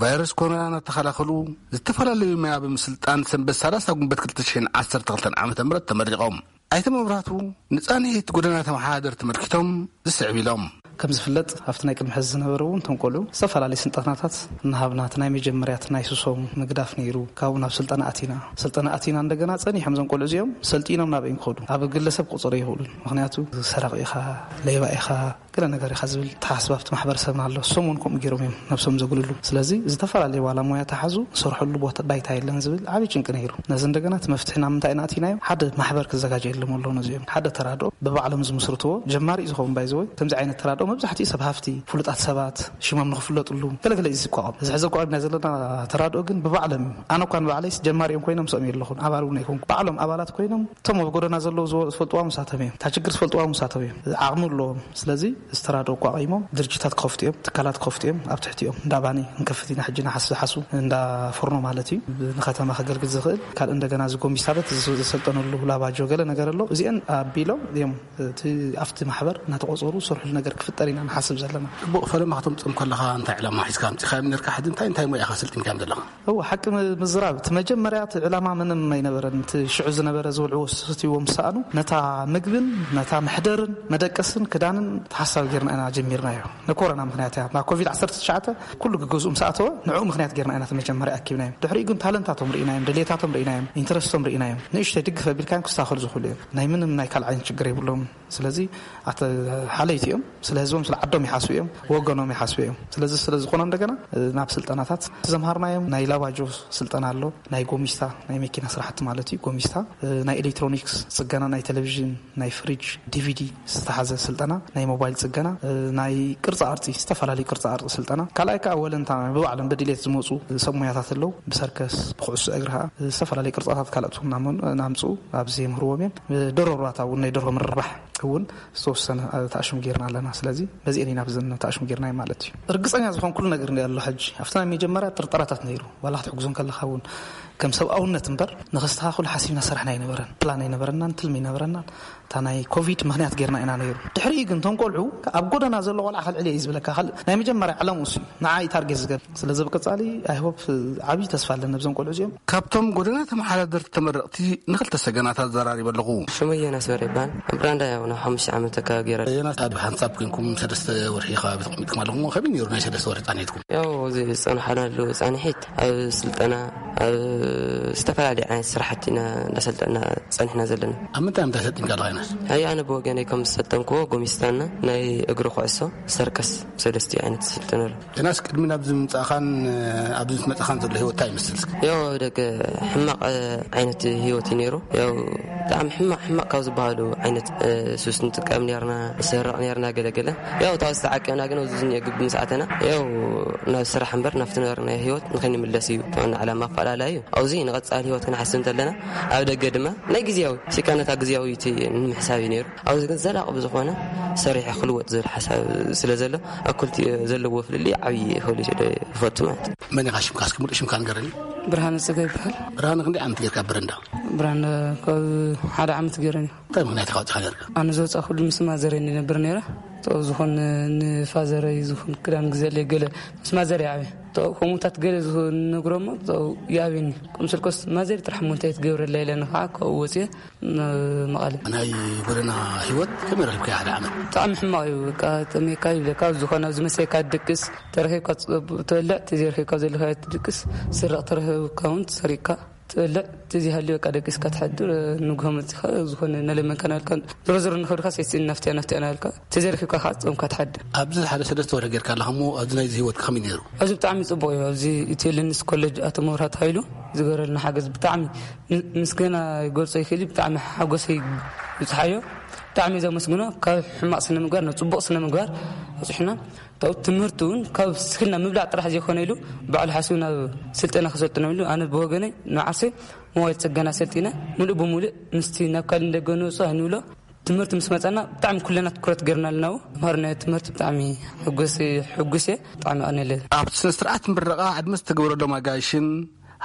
ቫይረስ ኮሮና እናተኸላኸሉ ዝተፈላለዩ መያ ብምስልጣን ሰንበት ሰላሳ ጉንበት ክልተ ሽሕን ዓሰርተ ክልተን ዓመተ ምህረት ተመሪቖም። ኣይተ መብራህቱ ንጻንሒት ጎደና ተመሓዳደርቲ ተመልኪቶም ዝስዕብ ኢሎም። ከም ዝፍለጥ ኣብቲ ናይ ቅድሚ ሕዚ ዝነበረ እውን እቶም ቆልዑ ዝተፈላለዩ ስልጠናታት እናሃብና እቲ ናይ መጀመርያ እቲ ናይ ስሶም ምግዳፍ ነይሩ። ካብኡ ናብ ስልጠና ኣቲና። ስልጠና ኣቲና እንደገና ጸኒሖም እዞም ቆልዑ እዚኦም ሰልጢኖም ናበይ ክኸዱ ኣብ ግለሰብ ክቑጸሩ ኣይኽእሉን። ምኽንያቱ ሰራቂ ኢኻ፣ ሌባ ኢኻ፣ ገለ ነገር ኢኻ ዝብል ተሓስባ ኣብቲ ማሕበረሰብና ኣሎ። እሶም እውን ከምኡ ገይሮም እዮም ነብሶም ዘግልሉ። ስለዚ ዝተፈላለዩ ዋላ ሞያ ተሓዙ ዝሰርሐሉ ቦታ ባይታ የለን ዝብል ዓብዪ ጭንቂ ነይሩ። ነዚ እንደገና እቲ መፍትሒ ናብ ምንታይ ኢና ኣቲናዮ? ሓደ ማሕበር ክዘጋጀየሎም ኣሎ ነዚኦም። ሓደ ተራድኦ ብባዕሎም ዝምስርትዎ ጀማሪ እዩ ዝኸውን ባይዘወይ። ከምዚ ዓይነት ተራድኦ መብዛሕትኡ ሰብ ሃፍቲ፣ ፍሉጣት ሰባት ሽሞም ንኽፍለጥሉ ገለገለ እዩ ዝቋቋም። እዚ ሕዚ ኣቋሚና ዘለና ተራድኦ ግን ብባዕሎም እዩ። ኣነ እኳ ንባዕለይስ ጀማሪ እዮም ኮይኖም ምስኦም የለኹን፣ ኣባል እውን ኣይኮንኩ። ባዕሎም ኣባላት ኮይኖም እቶም ኣብ ጎደና ዘለዉ ዝወ-፣ ዝፈልጥዋ ምሳቶም እዮም። እታ ችግር ዝፈልጥዋ ምሳቶም እዮም። ዓቕሚ ኣለዎም። ስለዚ ዝተራድኦ ኣቋቒሞም ድርጅታት ክኸፍቱ እዮም፣ ትካላት ክኸፍቱ እዮም። ኣብ ትሕቲኦም እንዳ ባኒ ክንከፍት ኢና ሕጂ፣ ናሓስ ዝሓሱ እንዳ ፎርኖ ማለት እዩ። ንከተማ ከገልግል ዝኽእል ካልእ እንደገና እዚ ጎሚስታበት ዝ-፣ ዝሰልጠነሉ ላባጆ ገለ ነገር ኣሎ። እዚአን ኣቢሎም እዮም እቲ ኣብቲ ማሕበር እናተቖጸሩ ዝሰርሕሉ ነገር ክፍጠር ኢና ንሓስብ ዘለና። ጽቡቕ፣ ፈለማ ክትምጽኦም ከለኻ እንታይ ዕላማ ሒዝካ ኣምጺኻዮም ነርካ? ሕዚ እንታይ እንታይ ሞያ ኢኻ ሰልጢንካዮም ዘለኻ? እወ፣ ሓቂ ም-፣ ምዝራብ፣ እቲ መጀመርያ እቲ ዕላማ ምንም ኣይነበረን። እቲ ሽዑ ዝነበረ ዝብልዕዎ ዝስትይዎ ምስ ሰኣኑ፣ ነታ ምግብን ነታ መሕደርን መደቀስን ክዳንን ትሓስ-፣ ካብ ጌርና ኢና ጀሚርናዮ። ንኮሮና ምኽንያት እያ። ናብ ኮቪድ ዓሰርተ ትሽዓተ ኩሉ ገዝኡ ምስ ኣተወ፣ ንዕኡ ምኽንያት ጌርና ኢና እቲ መጀመርያ ኣኪብናዮም። ድሕሪኡ ግን ታለንታቶም ርኢናዮም፣ ድሌታቶም ርኢናዮም፣ ኢንተረስቶም ርኢናዮም። ንእሽተይ ድግፍ ኣቢልካዮም ክስተኻኸሉ ዝኽእሉ እዮም። ናይ ምንም ናይ ካልእ ዓይነት ችግር የብሎም። ስለዚ ኣተ ሓለይቲ እዮም። ስለ ህዝቦም፣ ስለ ዓዶም ይሓስቡ እዮም፣ ወገኖም ይሓስቡ እዮም። ስለዚ ስለ ዝኾነ እንደገና ናብ ስልጠናታት ዘምሃርናዮም ናይ ላባጆ ስልጠና ኣሎ፣ ናይ ጎሚስታ፣ ናይ መኪና ስራሕቲ ማለት እዩ። ጎሚስታ፣ ናይ ኤሌክትሮኒክስ ጽገና፣ ናይ ቴሌቪዥን፣ ናይ ፍሪጅ፣ ዲቪዲ ዝተሓዘ ስልጠና፣ ናይ ሞባይል ጽገና፣ ናይ ቅርጻ ቅርጺ፣ ዝተፈላለዩ ቅርጻ ቅርጺ ስልጠና። ካልኣይ ከዓ ወለንታ ብባዕሎም ብድሌት ዝመፁ ሰብ ሞያታት ኣለዉ። ብሰርከስ፣ ብኩዕሶ እግሪ ከዓ ዝተፈላለዩ ቅርጻታት ካልኦት እውን እናመኑ እናምፅኡ ኣብዚ የምህርዎም እዮም። ደርሆ እርባታ እውን ናይ ደርሆ ምርባሕ እውን ዝተወሰነ ተኣሽሙ ጌርና ኣለና። ስለዚ በዚአን ኢና ብዘን ተኣሽሙ ጌርና ማለት እዩ። ርግጸኛ ዝኾንኩሉ ነገር እንዲ ኣሎ ሕጂ ኣብቲ ናይ መጀመርያ ጥርጠራታት ነይሩ። ዋላ ክትሕግዞ ከለኻ እውን ከም ሰብኣውነት እምበር ንኸስተኻኽሉ ሓሲብና ሰራሕና ኣይነበረን። ፕላን ኣይነበረናን፣ ትልሚ ኣይነበረናን። እታ ናይ ኮቪድ ምኽንያት ጌርና ኢና ነይሩ። ድሕሪኡ ግን እቶም ቆልዑ ኣብ ጎደና ዘሎ ቆልዓ ከልዕል እየ እዩ ዝብለካ። ካልእ ናይ መጀመርያ ዕላምኡ እሱ እዩ። ንዓ እዩ ታርጌት ዝገብር። ስለዚ ብቀጻሊ ኣይ ሆፕ ዓብዪ ተስፋ ኣለኒ ኣብዞም ቆልዑ እዚኦም። ካብቶም ጎደና ተመሓዳደርቲ ተመረቕቲ ንኽልተ ሰገናት ኣዘራሪበ ኣለኹ። ሽመይ ዮናስ በርሄ ይበሃል። ኣብ ብራንዳ ያው ናብ ሓሙሽተ ዓመት ኣካባቢ ገይረ። ዮናስ፣ ኣብ ሓንሳብ ኮንኩም ሰለስተ ወርሒ ከባቢ ተቐሚጥኩም ኣለኹም። ከመይ ነይሩ ናይ ሰለስተ ወርሒ ጻንሒትኩም? ያው እዚ ዝጸንሓና ኣሎ ጻንሒት ኣብ ስልጠና፣ ኣብ ዝተፈላለዩ ዓይነት ስራሕቲ ኢና እንዳሰልጠና ጸኒሕና ዘለና። ኣብ ምንታይ ምንታይ ሰልጢንካ ኣለኻ ዮናስ? ኣይ ኣነ ብወገነይ ከም ዝሰልጠንክዎ ጎሚስታና ናይ እግሪ ኩዕሶ ሰርከስ ሰለስቲኡ ዓይነት ዝስልጥነሉ። ዮናስ፣ ቅድሚ ናብዚ ምምጻእኻን ኣብዚ ምስ መጻኻን ዘሎ ህይወት እንታይ ይመስል እስኪ? ያው ደገ ሕማቕ ዓይነት ህይወት እዩ ነይሩ። ያው ብጣዕሚ ሕማቕ ሕማቕ ካብ ዝበሃሉ ዓይነት ሱስ ንጥቀም ነርና፣ ንሰርቕ ነርና ገለገለ። ያው ታው ዝተዓቀብና ግን ኣብዚ ዝኒኦ ግቢ ምስ ኣተና ያው ናብ ስራሕ እምበር ናብቲ ነበርናዮ ህይወት ንኸይንምለስ እዩ ዋና ዕላማ ኣፈላላይ እዩ። ኣብዚ ንቐጻሊ ህይወት ክንሓስብ እንተለና ኣብ ደገ ድማ ናይ ግዜያዊ ሲካ ነታ ግዜያዊ እቲ ንምሕሳብ እዩ ነይሩ። ኣብዚ ግን ዘላቒ ብዝኾነ ሰሪሐ ክልወጥ ዝብል ሓሳብ ስለ ዘሎ ኣብ ክልቲኡ ዘለዎ ፍልልይ ዓብዪ ይኽእል እዩ ስለ ይፈቱ ማለት እዩ። መን ኢኻ ሽምካ? እስኪ ሙሉእ ሽምካ ንገረኒ። ብርሃነ ጸጋ ይበሃል። ብርሃነ፣ ክንደይ ዓመት ጌርካ ኣብ በረንዳ? ብርሃነ ካብ ሓደ ዓመት ገይረን እዩ። እንታይ ምኽንያት ኢኻ ወጺኻ ኔርካ? ኣነ ዝወጻእኩሉ ምስ ማዘረይ ንነብር ነይረ። ቶ ዝኾን ንፋዘረይ ዝኾን ክዳን ግዘለይ ገለ ምስ ማዘረይ ዓብየ። ቶ ከምኡታት ገለ ዝነግሮሞ ቶ ይኣብየኒ። ከም ስልኮስ ማዘር ጥራሕ እሞ እንታይ ትገብረላ ኢለኒ ከዓ ካብኡ ወፅየ ን-፣ መቐለ። ናይ ጎደና ህይወት ከመይ ረኺብካዮ ሓደ ዓመት? ብጣዕሚ ሕማቕ እዩ። በቃ ጠሜካ ይብለካ፣ ዝኾነ ኣብዚ መሰካ ትድቅስ፣ ተረኺብካ ትበልዕ፣ ተዘይረኺብካ ዘለካ ትድቅስ፣ ስረቕ ተረኺብካ እውን ትሰሪቕካ። ትበልዕ፣ እቲ ዘይሃልዩ በቃ ደቂስካ ትሓድር። ንግሆ መጺኻ ዝኾነ ነለመንካ ናልካ፣ ዞሮ ዞሮ ንኸብድካ ሴስን ናፍትያ ናፍትያ ናልካ፣ ተዘርኺብካ ከዓ ጾምካ ትሓድር። ኣብዚ ሓደ ሰለስተ ወርሒ ጌርካ ኣለኻ እሞ፣ ኣብዚ ናይዚ ህይወትካ ከመይ ነይሩ? ኣብዚ ብጣዕሚ ጽቡቕ እዩ። ኣብዚ ኢትዮ ሊንስ ኮሌጅ ኣቶ መብርሃ ተባሂሉ ዝገበረልና ሓገዝ ብጣዕሚ ም-፣ ምስጋና ይገልጾ ይኽእል እዩ። ብጣዕሚ ሓጎሰይ ይብጽሓዮ። ብጣዕሚ እየ ዘመስግኖ። ካብ ሕማቕ ስነ ምግባር ናብ ጽቡቕ ስነ ምግባር ኣውጽሑና። ካብኡ ትምህርቲ እውን ካብ ስክልና ምብላዕ ጥራሕ ዘይኮነ ኢሉ ባዕሉ ሓሲቡ ናብ ስልጠና ክሰልጥኖም ኢሉ፣ ኣነ ብወገነይ ንዓርሰይ ሞባይል ጽገና ሰልጢነ፣ ምሉእ ብምሉእ ምስቲ ናብ ካልእ እንደገ ንወፅኦ ኣይንብሎ። ትምህርቲ ምስ መፀና ብጣዕሚ ኩለና ትኩረት ገይርና ኣለና። ተምሃሮ ናይ ትምህርቲ ብጣዕሚ ሕጉስ፣ ሕጉስ እየ። ብጣዕሚ ኣቐንየለይ። ኣብቲ ስነ ስርዓት ምረቓ ዕድመ ዝተገበረሎም ኣጋይሽን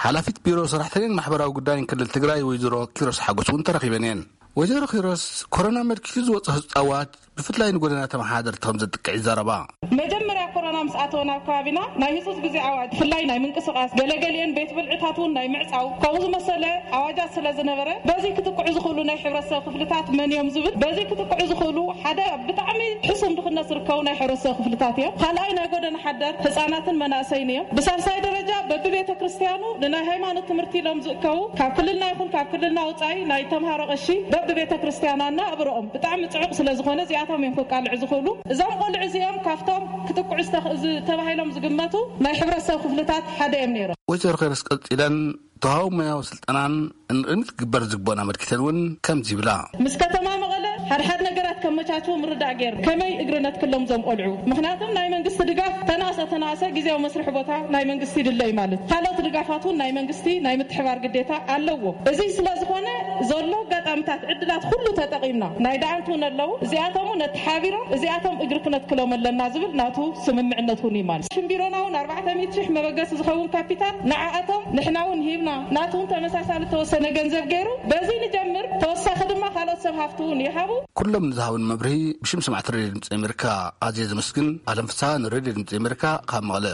ሓላፊት ቢሮ ሰራሕተኛን ማሕበራዊ ጉዳይን ክልል ትግራይ ወይዘሮ ኪሮስ ሓጎስ እውን ተረኺበን እየን። ወይዘሮ ኪሮስ፣ ኮሮና መልኪቱ ዝወፀ ህፃዋት ብፍላይ ንጎደና ተመሓደርቲ ከም ዘጥቅዕ ይዛረባ። መጀመርያ ኮሮና ምስ ኣተወ ናብ ከባቢና ናይ ህፁፅ ግዜ ኣዋጅ፣ ብፍላይ ናይ ምንቅስቓስ፣ ገለገሊአን ቤት ብልዕታት እውን ናይ ምዕፃው፣ ከምኡ ዝመሰለ ኣዋጃት ስለ ዝነበረ በዚ ክጥቅዑ ዝኽእሉ ናይ ሕብረተሰብ ክፍልታት መን እዮም ዝብል፣ በዚ ክጥቅዑ ዝኽእሉ ሓደ ኣብ ብጣዕሚ ሕሱም ድኽነት ዝርከቡ ናይ ሕብረተሰብ ክፍልታት እዮም። ካልኣይ ናይ ጎደና ሓደር ህፃናትን መናእሰይን እዮም። ብሳልሳይ ደረጃ በብቤተ ክርስቲያኑ ንናይ ሃይማኖት ትምህርቲ ኢሎም ዝእከቡ ካብ ክልልና ይኹን ካብ ክልልና ወፃኢ ናይ ተምሃሮ ቀሺ በብቤተ ክርስቲያናና እብረኦም ብጣዕሚ ጽዑቕ ስለ ዝኾነ እዚኣቶም እዮም ከቃልዑ ዝኽእሉ። እዞም ቆልዑ እዚኦም ካብቶም ክጥቅዑ ዝተኽ-፣ ዝ-፣ ተባሂሎም ዝግመቱ ናይ ሕብረተሰብ ክፍልታት ሓደ እዮም ነይሮም። ወይዘሮ ኸይረስ ቀጺለን ተዋህቦ ሞያዊ ስልጠናን ንቕድሚት ክግበር ዝግበኦን ኣመልኪተን እውን ከምዚ ይብላ። ምስ ከተማ መቐለ ሓድሓድ ነገራት ከመቻችው ምርዳእ ገይሩ ከመይ እግሪ ነትክሎም እዞም ቆልዑ? ምኽንያቱም ናይ መንግስቲ ድጋፍ ተናሰ ተናሰ ግዜያዊ መስርሒ ቦታ ናይ መንግስቲ ይድለ እዩ ማለት። ካልኦት ድጋፋት እውን ናይ መንግስቲ ናይ ምትሕባር ግዴታ ኣለዎ። እዚ ስለ ዝኾነ ዘሎ ኣጋጣሚታት ዕድላት ኩሉ ተጠቒምና ናይ ደኣንት እውን ኣለዉ። እዚኣቶም እውን ኣተሓቢሮም እዚኣቶም እግሪ ክነትክሎም ኣለና ዝብል ናቱ ስምምዕነት እውን እዩ ማለት። ሽም ቢሮና እውን ኣርባዕተ ሚእቲ ሽሕ መበገሲ ዝኸውን ካፒታል ንዓኣቶም ንሕና እውን ሂብና። ናቱ እውን ተመሳሳሊ ተወሰነ ገንዘብ ገይሩ በዚ ንጀምር። ተወሳኺ ድማ ካልኦት ሰብ ሃፍቲ እውን ይሃቡ። ኩሎም ንዝሃቡን መብርሂ ብሽም ሰማዕቲ ሬድዮ ድምፂ ኣሜሪካ ኣዝየ ዘመስግን። ኣለም ፍስሃ ንሬድዮ ድምፂ ኣሜሪካ ካብ መቐለ።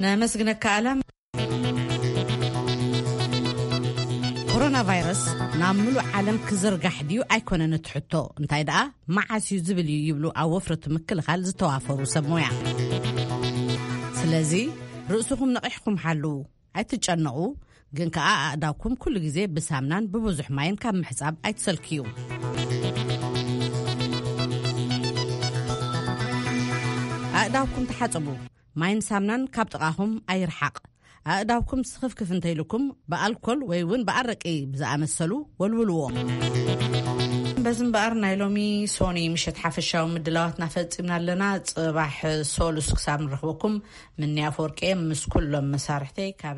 ነመስግነካ ኣለም። ኮሮና ቫይረስ ናብ ምሉእ ዓለም ክዝርጋሕ ድዩ ኣይኮነን እቲ ሕቶ፣ እንታይ ደኣ መዓስ እዩ ዝብል እዩ ይብሉ ኣብ ወፍሪ እቲ ምክልኻል ዝተዋፈሩ ሰብ ሞያ። ስለዚ ርእስኹም ነቒሕኩም ሓልዉ፣ ኣይትጨነቑ፣ ግን ከኣ ኣእዳውኩም ኩሉ ግዜ ብሳምናን ብብዙሕ ማይን ካብ ምሕጻብ ኣይትሰልክዩ። ኣእዳውኩም ተሓጽቡ፣ ማይን ሳምናን ካብ ጥቓኹም ኣይርሓቕ። ኣእዳውኩም ስኽፍክፍ እንተይልኩም ብኣልኮል ወይ እውን ብኣረቂ ብዝኣመሰሉ ወልውልዎ። በዚ እምበኣር ናይ ሎሚ ሶኒ ምሸት ሓፈሻዊ ምድላዋትና ፈጺምና ኣለና። ጽባሕ ሶሉስ ክሳብ ንረኽበኩም፣ ምንያ ኣፈወርቂ ምስ ኩሎም መሳርሕተይ ካበይ